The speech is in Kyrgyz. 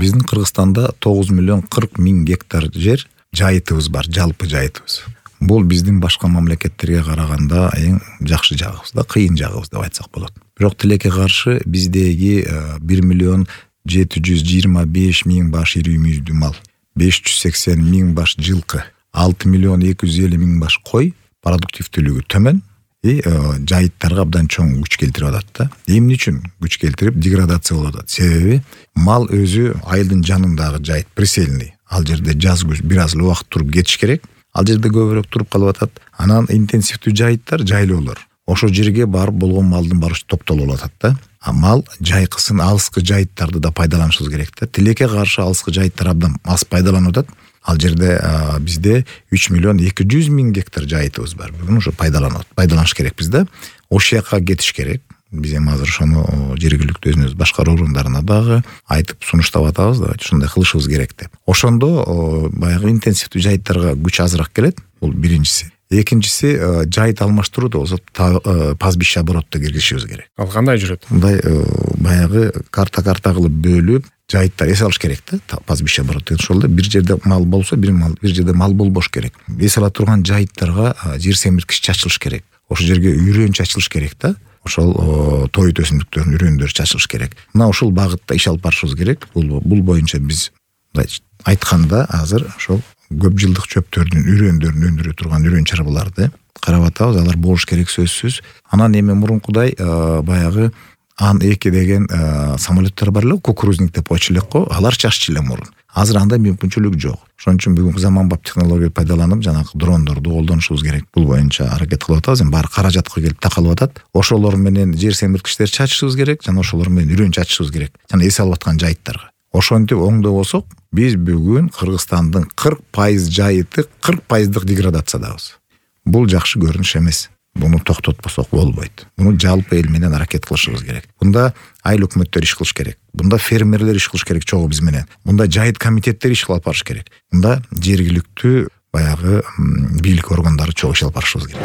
Биздин Кыргызстанда 9,40,000 гектар жер жайытыбыз бар, жалпы жайытыбыз. Бул биздин башка мамлекеттерге караганда эң жакшы жагыбыз да, кыйын жагыбыз деп айтсак болот. Бирок тилекке каршы биздеги 1,725,000 баш ири мүйздүү мал, 580,000 баш жылкы, 6,250,000 баш кой продуктивдүүлүгү төмөн жайыттарга абдан чоң күч келтирип атат да. Эмне үчүн күч келтирип деградация болуп атат? Себеби мал өзү айылдын жанындагы жайыт, присельный. Ал жерде жаз күз бир аз эле убакыт туруп кетиш керек. Ал жерде көбүрөөк туруп калып атат. Анан интенсивдүү жайыттар жайлоолор. Ошо жерге барып болгон малдын баары топтолуп атат да. А мал жайкысын алыскы жайыттарды да пайдаланышыбыз керек да. Тилекке каршы алыскы жайыттар абдан аз пайдаланып атат. Ал жерде бизде 3,200,000 гектар жайытыбыз бар. Бүгүн ошо пайдаланыш керекпиз да. Ошол жака кетиш керек. Биз эми азыр ошону жергиликтүү өзүбүз башкаруу органдарына дагы айтып сунуштап атабыз да, ушундай кылышыбыз керек деп. Ошондо баягы интенсивдүү жайыттарга күч азыраак келет. Бул биринчиси. Экинчиси жайыт алмаштыруууда болсо пастбище оборотто киргизишибиз керек. Ал кандай жүрөт? Мындай баягы карта кылып бөлүп жайыттар эс алыш керек да. Пастбище оборот деген ошол да, бир жерде мал болсо бир жерде мал болбош керек. Эс ала турган жайыттарга жер семирткич чачылыш керек. Ошол жерге үрөөн чачылыш керек да. Ошол тоют өсүмдүктөрдүн үрөөндөр чачылыш керек. Мына ушул багытта иш алып барышыбыз керек. Бул боюнча биз айтканда азыр ошол көп жылдык чөптөрдүн үрөөндөрүн өндүрө турган үрөөн чарбаларды карап атабыз. Алар болуш керек сөзсүз. Анан эми мурункудай баягы Ан-2 деген самолеттер бар эле, кукурузник деп койчу элек го, алар чаччу эле мурун. Азыр андай мүмкүнчүлүк жок. Ошон үчүн бүгүнкү заманбап технология пайдаланып, жанагы дрондорду колдонушубуз керек. Бул боюнча аракет кылып атабыз. Эми баары каражатка келип такалып атат. Ошолор менен жер семирткичтер чачышыбыз керек, жана ошолор менен үрөөн чачышыбыз керек. Жана эс алып аткан жайыттарга. Ошентип оңдобосок, биз бүгүн Кыргызстандын 40% жайыты 40% деградациядабыз. Бул жакшы көрүнүш эмес. Буну токтотпосок болбойт. Буну жалпы эл менен аракет кылышыбыз керек. Бунда айыл өкмөттөр иш кылыш керек. Бунда фермерлер иш кылыш керек чогуу биз менен. Бунда жайыт комитеттери иш кылып барыш керек. Бунда жергиликтүү баягы бийлик органдары чогуу иш алып барышыбыз керек.